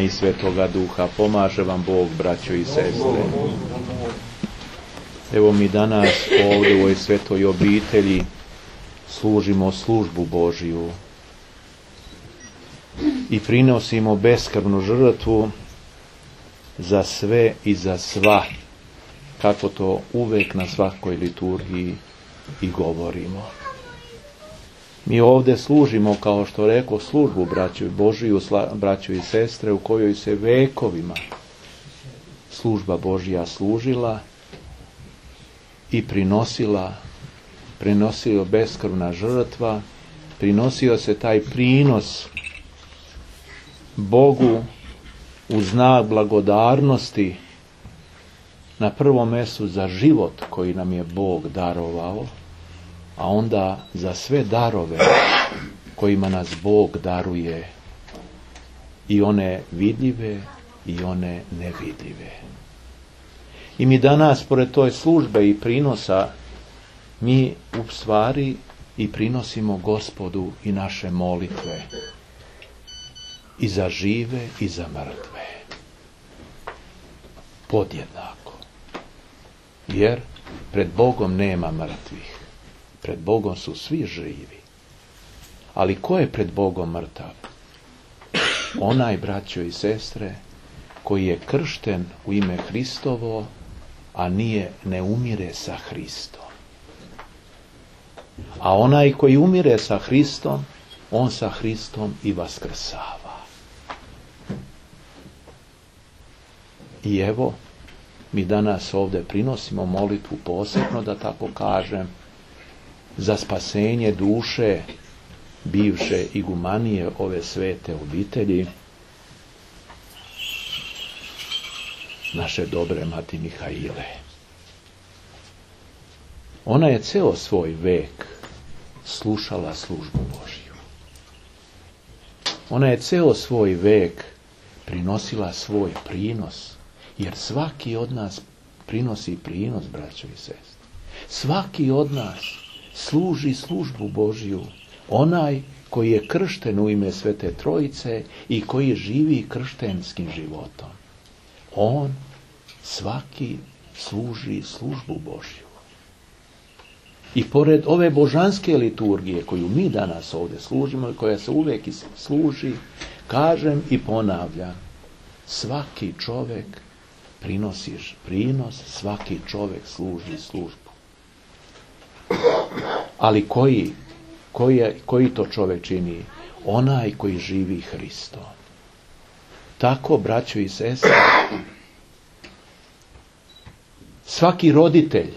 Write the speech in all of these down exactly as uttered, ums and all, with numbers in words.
i Svetoga Duha. Pomaže vam Bog, braćo i sestre. Evo mi danas ovdje u ovoj svetoj obitelji služimo službu Božiju i prinosimo beskrvnu žrtvu za sve i za sva, kako to uvek na svakoj liturgiji i govorimo. Mi ovdje služimo, kao što rekao, službu braću Božiju, braću i sestre, u kojoj se vekovima služba Božja služila i prinosila, prinosio beskrvna žrtva, prinosio se taj prinos Bogu u znak blagodarnosti, na prvom mjestu za život koji nam je Bog darovao, a onda za sve darove kojima nas Bog daruje, i one vidljive i one nevidljive. I mi danas, pored toj službe i prinosa, mi u stvari i prinosimo Gospodu i naše molitve, i za žive i za mrtve, podjednako. Jer pred Bogom nema mrtvih, pred Bogom su svi živi. Ali ko je pred Bogom mrtav? Onaj, braćo i sestre, koji je kršten u ime Hristovo, a nije, ne umire sa Hristom. A onaj koji umire sa Hristom, on sa Hristom i vaskrsava. I evo, mi danas ovdje prinosimo molitvu posebno, da tako kažem, za spasenje duše bivše igumanije ove svete obitelji, naše dobre mati Mihaile. Ona je ceo svoj vek slušala službu Božju. Ona je ceo svoj vek prinosila svoj prinos, jer svaki od nas prinosi prinos, braćo i sestre. Svaki od nas služi službu Božju, onaj koji je kršten u ime Svete Trojice i koji živi krštenskim životom. On svaki služi službu Božju. I pored ove božanske liturgije koju mi danas ovdje služimo i koja se uvijek služi, kažem i ponavljam, svaki čovjek prinosi prinos, svaki čovjek služi službu. Ali koji, koji, je, koji to čovjek čini? Onaj koji živi Hristom. Tako, braćo i sestre, svaki roditelj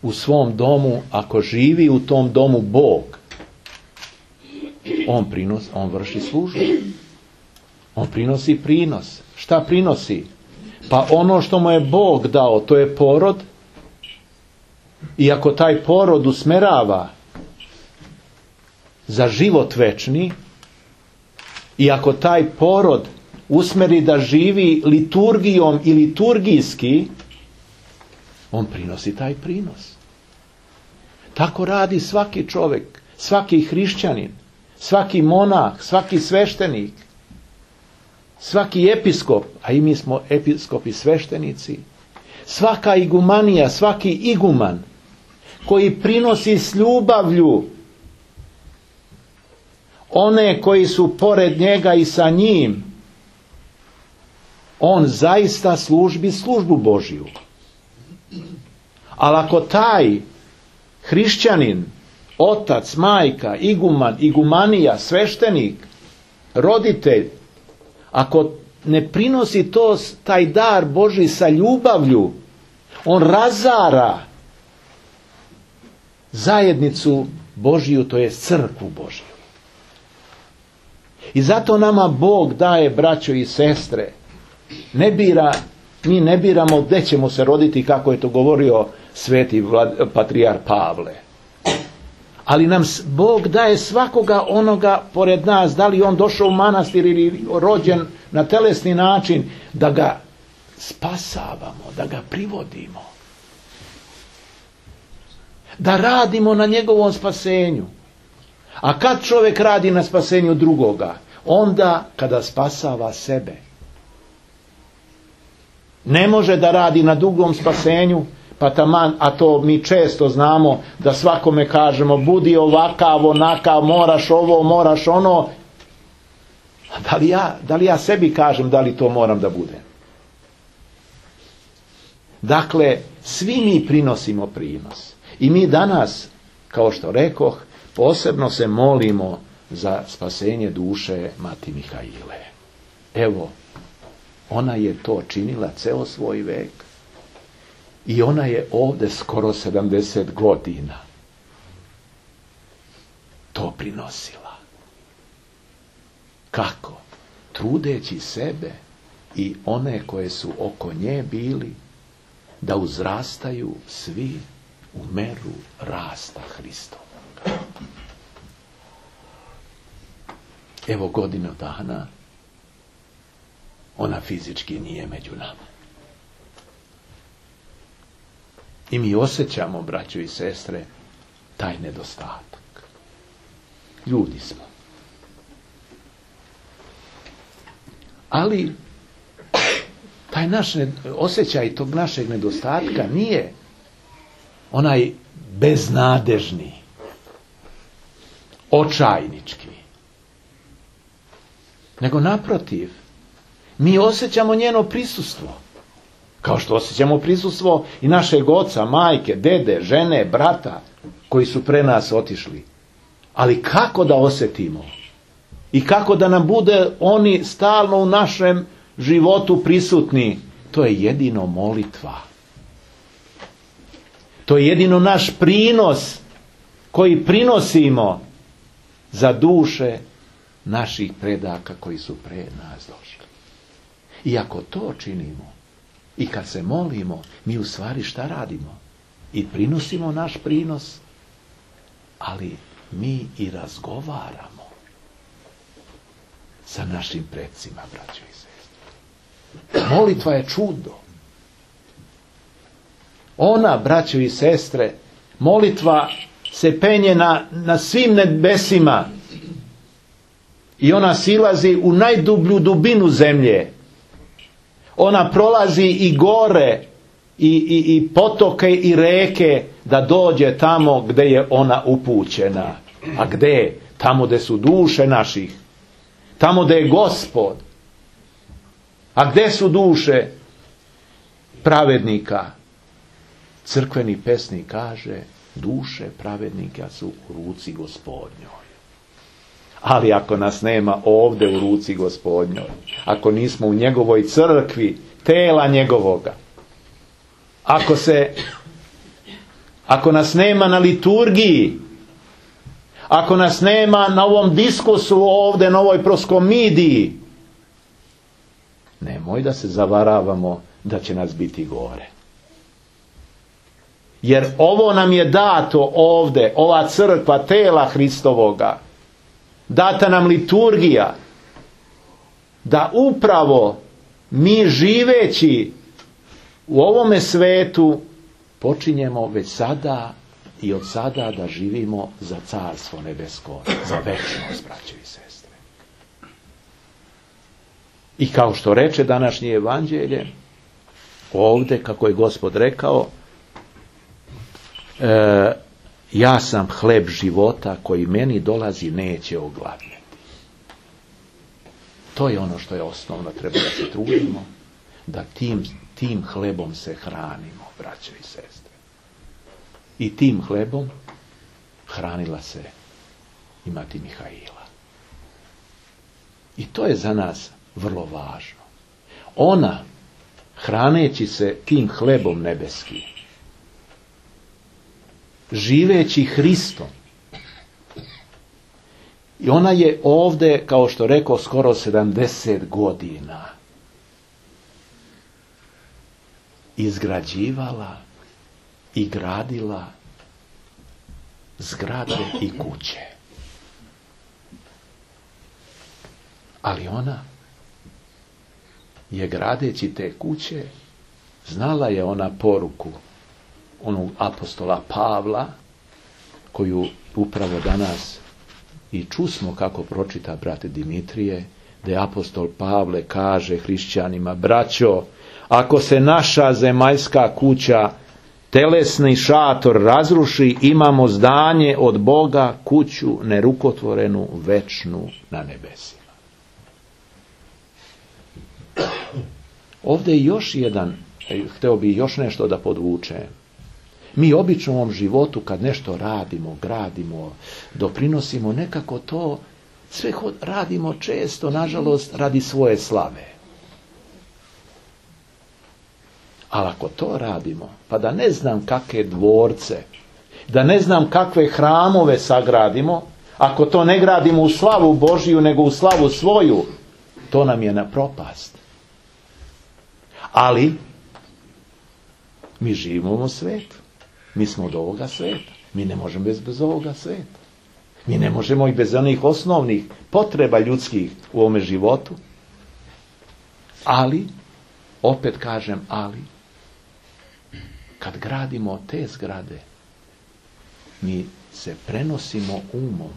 u svom domu, ako živi u tom domu Bog, on prinos, on vrši službu. On prinosi prinos. Šta prinosi? Pa ono što mu je Bog dao, to je porod. I ako taj porod usmerava za život večni, i ako taj porod usmeri da živi liturgijom i liturgijski, on prinosi taj prinos. Tako radi svaki čovjek, svaki hrišćanin, svaki monah, svaki sveštenik, svaki episkop, a i mi smo episkopi sveštenici, svaka igumanija, svaki iguman koji prinosi s ljubavlju one koji su pored njega i sa njim, on zaista službi službu Božju. Ali ako taj hrišćanin, otac, majka, iguman, igumanija, sveštenik, roditelj, ako ne prinosi to, taj dar Božji sa ljubavlju, on razara zajednicu Božju, to je crkvu Božju. I zato nama Bog daje, braćo i sestre, ne bira, mi ne biramo gdje ćemo se roditi, kako je to govorio sveti patrijar Pavle. Ali nam Bog daje svakoga onoga pored nas, da li on došao u manastir ili rođen na telesni način, da ga spasavamo, da ga privodimo. Da radimo na njegovom spasenju. A kad čovjek radi na spasenju drugoga, onda kada spasava sebe. Ne može da radi na dugom spasenju, pa taman, a to mi često znamo, da svakome kažemo budi ovakav, onakav, moraš ovo, moraš ono. Da li ja, da li ja sebi kažem da li to moram da budem? Dakle, svi mi prinosimo prinos. I mi danas, kao što rekoh, posebno se molimo za spasenje duše Mati Mihaile. Evo, ona je to činila ceo svoj vek. I ona je ovdje skoro sedamdeset godina to prinosila. Kako? Trudeći sebe i one koje su oko nje bili da uzrastaju svi u meru rasta Hristovoga. Evo godinu dana ona fizički nije među nama. I mi osjećamo, braćo i sestre, taj nedostatak. Ljudi smo. Ali taj naš osjećaj tog našeg nedostatka nije onaj beznadežni, očajnički. Nego naprotiv, mi osjećamo njeno prisustvo. Kao što osjećamo prisustvo i našeg oca, majke, dede, žene, brata, koji su pre nas otišli. Ali kako da osjetimo? I kako da nam bude oni stalno u našem životu prisutni? To je jedino molitva. To je jedino naš prinos koji prinosimo za duše naših predaka koji su pre nas došli. I ako to činimo, i kad se molimo, mi u stvari šta radimo? I prinosimo naš prinos, ali mi i razgovaramo sa našim predsima, braćo i sestre. Molitva je čudo. Ona, braćo i sestre, molitva se penje na, na svim nebesima i ona silazi u najdublju dubinu zemlje. Ona prolazi i gore i, i, i potoke i reke da dođe tamo gdje je ona upućena. A gdje? Tamo gdje su duše naših. Tamo gdje je Gospod. A gdje su duše pravednika? Crkveni pesnik kaže, duše pravednika su u ruci Gospodnjoj. Ali ako nas nema ovdje u ruci Gospodnjoj, ako nismo u njegovoj crkvi, tela njegovoga, ako se, ako nas nema na liturgiji, ako nas nema na ovom diskusu ovdje, na ovoj proskomidiji, nemoj da se zavaravamo da će nas biti gore. Jer ovo nam je dato ovdje, ova crkva tela Hristovoga, data nam liturgija, da upravo mi živeći u ovome svetu počinjemo već sada i od sada da živimo za carstvo nebesko, za večnost, braćo i sestre. I kao što reče današnje evanđelje, ovdje, kako je Gospod rekao, e, ja sam hleb života koji meni dolazi neće ogladnjeti. To je ono što je osnovno, treba da se trudimo, da tim, tim hlebom se hranimo, braćo i sestre. I tim hlebom hranila se i Mati Mihaila. I to je za nas vrlo važno. Ona, hraneći se tim hlebom nebeskim, živeći Hristom, i ona je ovdje, kao što rekao, skoro sedamdeset godina izgrađivala i gradila zgrade i kuće. Ali ona je, gradeći te kuće, znala je ona poruku onog apostola Pavla, koju upravo danas I čusmo kako pročita brat Dimitrije, da apostol Pavle kaže hrišćanima: braćo, ako se naša zemaljska kuća, telesni šator razruši, imamo zdanje od Boga, kuću nerukotvorenu, večnu na nebesima. Ovdje je još jedan, hteo bi još nešto da podvučem. Mi obično u ovom životu kad nešto radimo, gradimo, doprinosimo, nekako to sve radimo često, nažalost, radi svoje slave. Ali ako to radimo, pa da ne znam kakve dvorce, da ne znam kakve hramove sagradimo, ako to ne gradimo u slavu Božiju, nego u slavu svoju, to nam je na propast. Ali mi živimo u svijetu. Mi smo od ovoga svijeta. Mi ne možemo bez, bez ovoga svijeta. Mi ne možemo i bez onih osnovnih potreba ljudskih u ovome životu. Ali, opet kažem ali, kad gradimo te zgrade, mi se prenosimo umom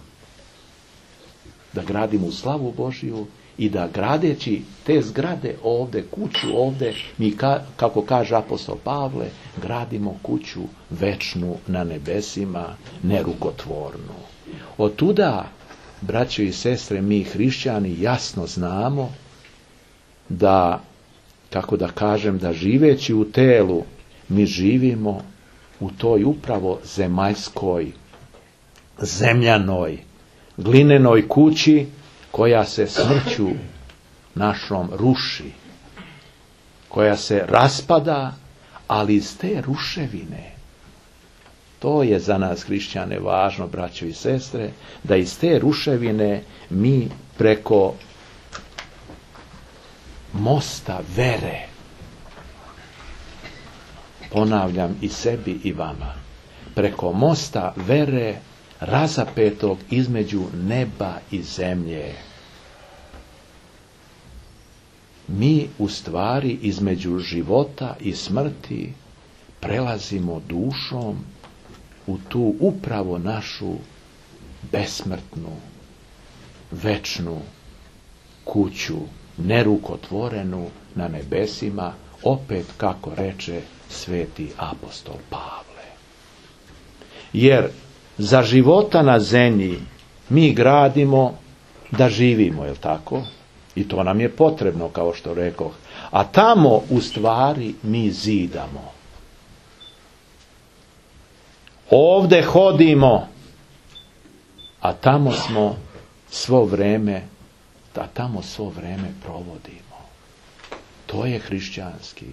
da gradimo u slavu Božiju i da gradeći te zgrade ovdje, kuću ovdje, mi ka, kako kaže apostol Pavle, gradimo kuću večnu na nebesima, nerukotvornu. Od tuda, braćo i sestre, mi hrišćani jasno znamo da, kako da kažem, da živeći u telu, mi živimo u toj upravo zemaljskoj, zemljanoj, glinenoj kući koja se smrću našom ruši, koja se raspada, ali iz te ruševine, to je za nas hrišćane važno, braćo i sestre, da iz te ruševine mi preko mosta vere, ponavljam i sebi i vama, preko mosta vere razapetog između neba i zemlje, mi u stvari između života i smrti prelazimo dušom u tu upravo našu besmrtnu, večnu kuću, nerukotvorenu na nebesima, opet kako reče sveti apostol Pavle. Jer za života na zemlji mi gradimo da živimo, je li tako? I to nam je potrebno, kao što rekoh. A tamo u stvari mi zidamo. Ovdje hodimo, a tamo smo svo vreme, a tamo svo vreme provodimo. To je hrišćanski.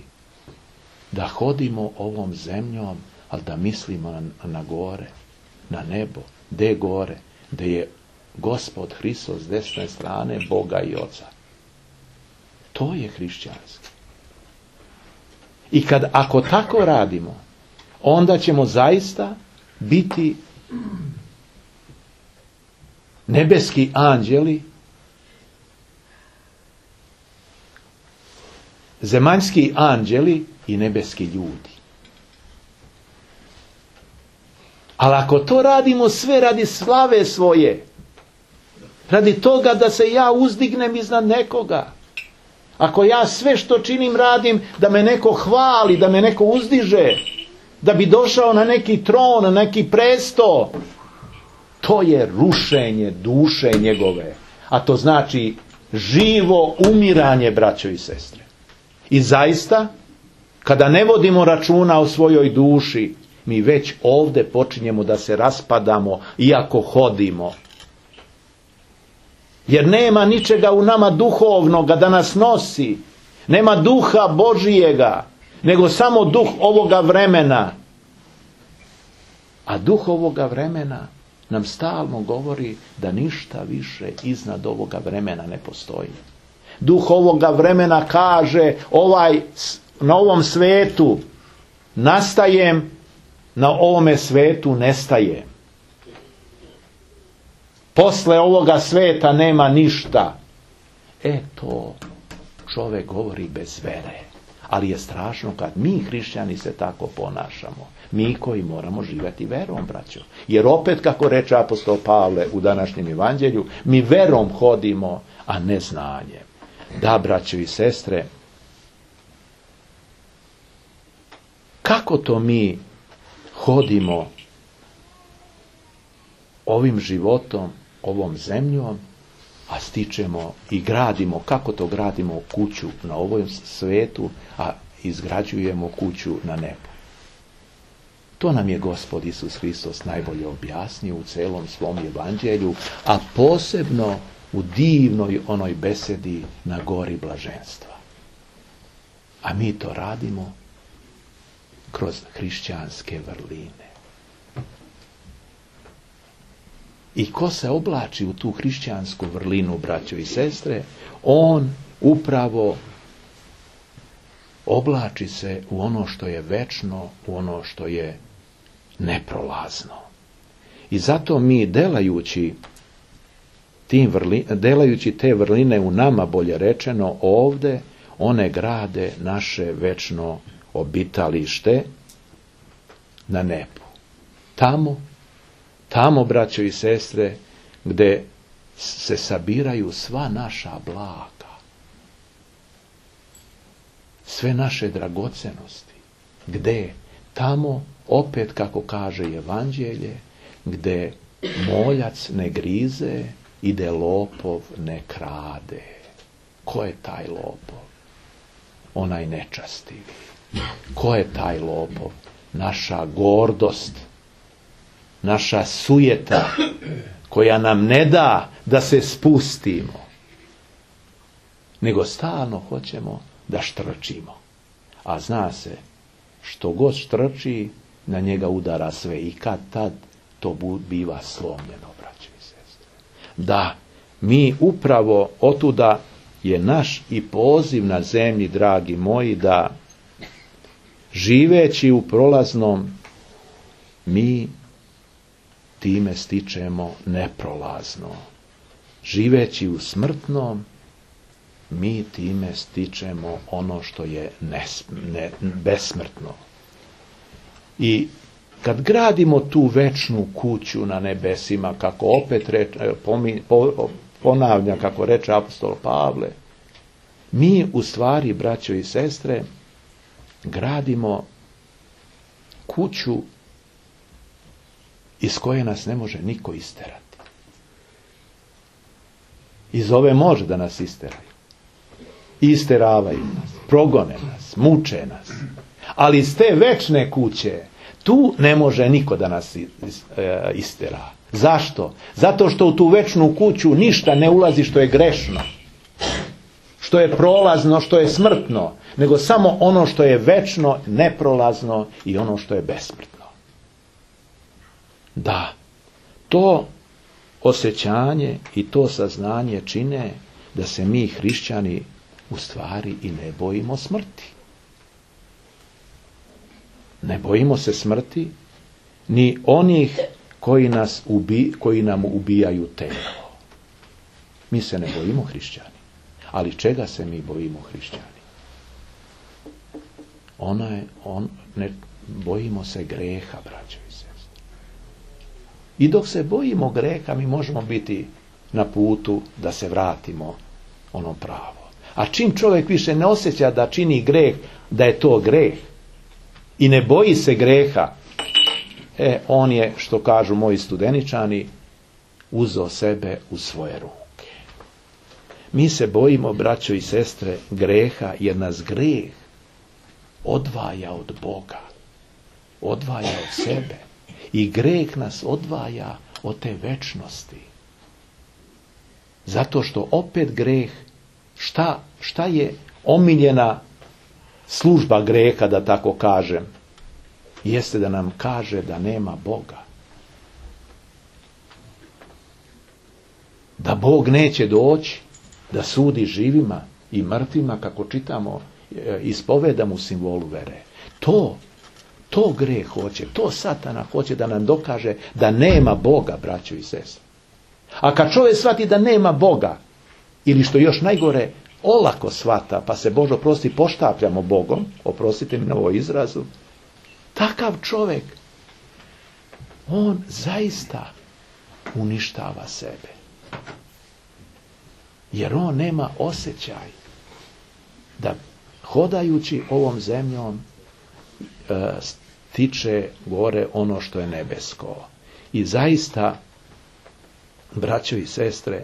Da hodimo ovom zemljom, ali da mislimo na, na gore, na nebo. Gde gore? Gde je Gospod Hristos s desne strane Boga i Oca. To je hrišćanski. I kad, ako tako radimo, onda ćemo zaista biti nebeski anđeli, zemaljski anđeli i nebeski ljudi. Ali ako to radimo sve radi slave svoje, radi toga da se ja uzdignem iznad nekoga, ako ja sve što činim radim da me neko hvali, da me neko uzdiže, da bi došao na neki tron, na neki presto, to je rušenje duše njegove. A to znači živo umiranje, braćo i sestre. I zaista, kada ne vodimo računa o svojoj duši, mi već ovdje počinjemo da se raspadamo, iako hodimo. Jer nema ničega u nama duhovnoga da nas nosi. Nema duha Božijega, nego samo duh ovoga vremena. A duh ovoga vremena nam stalno govori da ništa više iznad ovoga vremena ne postoji. Duh ovoga vremena kaže, ovaj, na ovom svetu nastajem, na ovome svetu nestajem. Posle ovoga sveta nema ništa. E to čovjek govori bez vere. Ali je strašno kad mi hrišćani se tako ponašamo. Mi koji moramo živjeti verom, braćo. Jer opet, kako reče apostol Pavle u današnjem evanđelju, mi verom hodimo, a ne znanjem. Da, braćo i sestre, kako to mi hodimo ovim životom, ovom zemljom, a stičemo i gradimo, kako to gradimo kuću na ovom svetu, a izgrađujemo kuću na nebu. To nam je Gospod Isus Hristos najbolje objasnio u celom svom evanđelju, a posebno u divnoj onoj besedi na gori blaženstva. A mi to radimo kroz hrišćanske vrline. I ko se oblači u tu hrišćansku vrlinu, braćo i sestre, on upravo oblači se u ono što je večno, u ono što je neprolazno. I zato mi delajući, tim vrli, delajući te vrline u nama, bolje rečeno, ovde, one grade naše večno obitalište na nebu. Tamo, tamo, braćo i sestre, gde se sabiraju sva naša blaga, sve naše dragocenosti. Gde? Tamo, opet kako kaže evanđelje, gde moljac ne grize i gde lopov ne krade. Ko je taj lopov? Onaj nečastivi. Ko je taj lopov? Naša gordost, naša sujeta, koja nam ne da da se spustimo, nego stalno hoćemo da štrčimo. A zna se, što god štrči, na njega udara sve i kad tad to biva slomljeno, braće i sestre. Da, mi upravo otuda je naš i poziv na zemlji, dragi moji, da živeći u prolaznom, mi time stičemo neprolazno. Živeći u smrtnom, mi time stičemo ono što je nes, ne, besmrtno. I kad gradimo tu večnu kuću na nebesima, kako opet reč, pomi, po, ponavlja, kako reče apostol Pavle, mi u stvari, braćo i sestre, gradimo kuću iz koje nas ne može niko isterati. Iz ove može da nas isteraju. Isteravaju nas, progone nas, muče nas. Ali iz te večne kuće, tu ne može niko da nas istera. Zašto? Zato što u tu večnu kuću ništa ne ulazi što je grešno, što je prolazno, što je smrtno, nego samo ono što je večno, neprolazno i ono što je besmrtno. Da, to osjećanje i to saznanje čine da se mi hrišćani u stvari i ne bojimo smrti. Ne bojimo se smrti ni onih koji, nas ubi, koji nam ubijaju telo. Mi se ne bojimo hrišćani. Ali čega se mi bojimo hrišćani? Ona je, on, ne, bojimo se greha, braćo i sestre. I dok se bojimo greha, mi možemo biti na putu da se vratimo ono pravo. A čim čovjek više ne osjeća da čini greh, da je to greh, i ne boji se greha, e, on je, što kažu moji studeničani, uzeo sebe u svoje ruke. Mi se bojimo, braćo i sestre, greha, jer nas greh odvaja od Boga, odvaja od sebe. I greh nas odvaja od te večnosti. Zato što opet greh, šta, šta je omiljena služba greha, da tako kažem, jeste da nam kaže da nema Boga. Da Bog neće doći da sudi živima i mrtvima, kako čitamo, ispovedamo u simbolu vere. To, to greh hoće, to Satana hoće da nam dokaže da nema Boga, braćo i sestre. A kad čovjek shvati da nema Boga, ili što još najgore, olako shvata, pa se Bože oprosti poštapljamo Bogom, oprostite mi na ovo izrazu, takav čovjek, on zaista uništava sebe. Jer on nema osjećaj da hodajući ovom zemljom e, stiče gore ono što je nebesko. I zaista, braćo i sestre,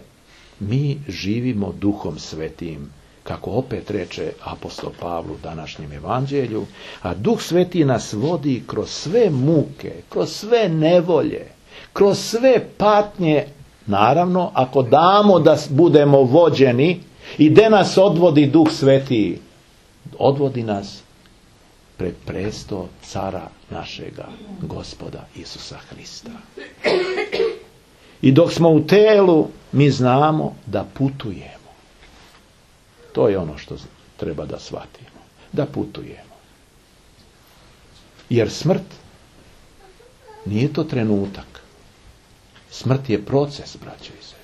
mi živimo Duhom Svetim, kako opet reče apostol Pavlu u današnjem evanđelju, a Duh Sveti nas vodi kroz sve muke, kroz sve nevolje, kroz sve patnje, naravno, ako damo da budemo vođeni i gde nas odvodi Duh Sveti, odvodi nas pred presto cara našega Gospoda Isusa Hrista. I dok smo u telu, mi znamo da putujemo. To je ono što treba da shvatimo. Da putujemo. Jer smrt nije to trenutak. Smrt je proces, braćo i sestre.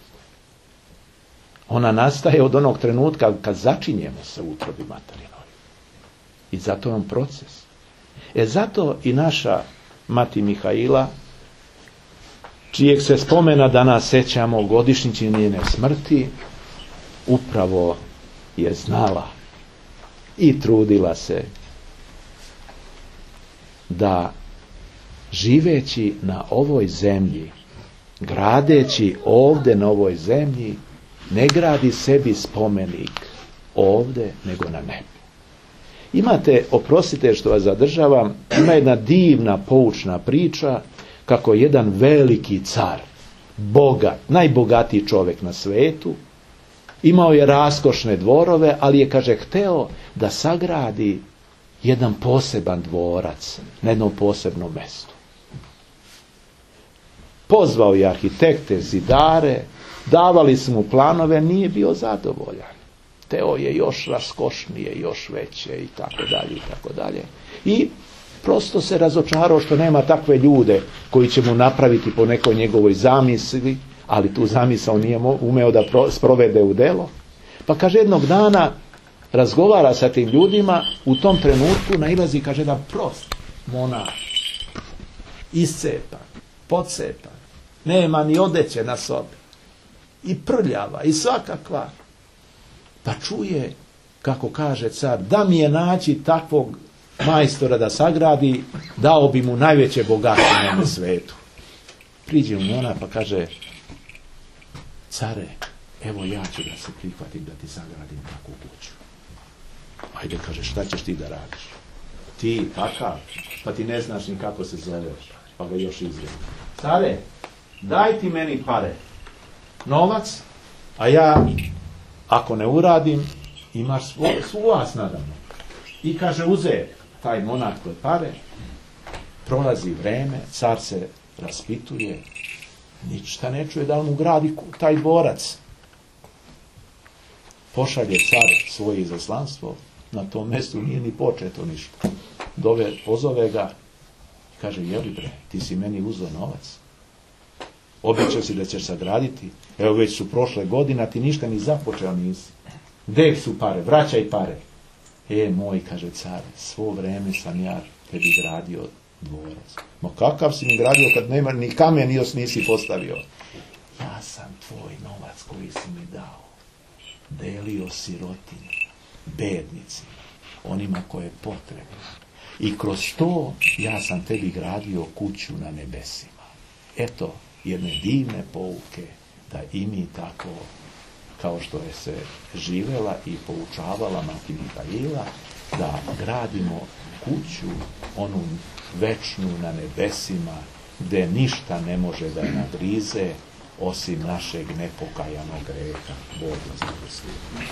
Ona nastaje od onog trenutka kad začinjemo se u utrobi materinoj. I zato je on proces. E zato i naša mati Mihaila, čijeg se spomena danas sećamo godišnjici njene smrti, upravo je znala i trudila se da živeći na ovoj zemlji, gradeći ovdje na ovoj zemlji, ne gradi sebi spomenik ovdje, nego na nebu. Imate, oprostite što vas zadržavam, ima jedna divna poučna priča kako jedan veliki car, bogat, najbogatiji čovjek na svetu, imao je raskošne dvorove, ali je, kaže, hteo da sagradi jedan poseban dvorac na jednom posebnom mjestu. Pozvao je arhitekte, zidare, davali su mu planove, nije bio zadovoljan. Hteo je još raskošnije, još veće i tako dalje i tako dalje. I prosto se razočarao što nema takve ljude koji će mu napraviti po nekoj njegovoj zamisli, ali tu zamisao nije umeo da sprovede u delo. Pa kaže, jednog dana razgovara sa tim ljudima, u tom trenutku nailazi, kaže, jedan prost monah, iscepan, podcepan, nema ni odeće na sobi, i prljava, i svakakva. Pa čuje, kako kaže car, da mi je naći takvog majstora da sagradi, dao bi mu najveće bogatstvo na svetu. Priđe mu monah pa kaže, care, evo ja ću da se prihvatim da ti sagradim takvu kuću. Ajde, kaže, šta ćeš ti da radiš? Ti, takav, pa ti ne znaš ni kako se zoveš. Pa ga još izgleda. Care, daj ti meni pare, novac, a ja, ako ne uradim, imaš svu vas nadamno. I kaže, uze taj monah kod pare, prolazi vreme, car se raspituje, ništa ne čuje da on ugradi taj dvorac. Pošalje car svoje izaslanstvo, na tom mjestu nije ni početo ništa. Dove, pozove ga, kaže, jeli bre, ti si meni uzeo novac, obećao si da ćeš sagraditi, evo već su prošle godine, ti ništa ni započeo nisi. Gde su pare, vraćaj pare. E, moj, kaže car, svo vreme sam ja tebi gradio dvorac. Ma kakav si mi gradio kad nema ni kamen nisi postavio? Ja sam tvoj novac koji si mi dao delio sirotinji, bednicima, onima koje je potrebno. I kroz to ja sam tebi gradio kuću na nebesima. Eto, jedne divne pouke da i mi tako, kao što je se živela i poučavala mati Mihaila, da gradimo kuću, onu večnu na nebesima, gde ništa ne može da je nagrize, osim našeg nepokajanog greha. Bog vas blagoslovi.